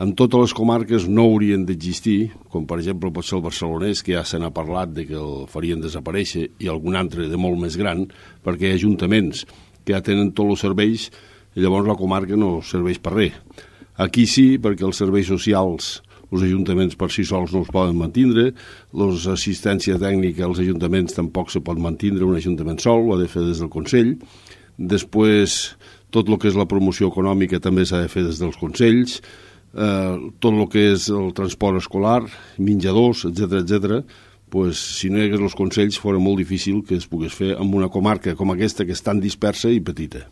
En totes les comarques no haurien d'existir, com per exemple pot ser el barcelonès, que ja se n'ha parlat de que el farien desaparèixer, i algun altre de molt més gran, perquè hi ha ajuntaments que ja tenen tots els serveis i llavors la comarca no serveix per res. Aquí sí, perquè els serveis socials, els ajuntaments per si sols no els poden mantindre, l'assistència tècnica als ajuntaments tampoc se pot mantindre un ajuntament sol, ho ha de fer des del Consell. Després, tot el que és la promoció econòmica també s'ha de fer des dels consells, tot el que és el transport escolar, menjadors, etc., pues, si no hi hagués els consells fora molt difícil que es pogués fer en una comarca com aquesta que és tan dispersa i petita.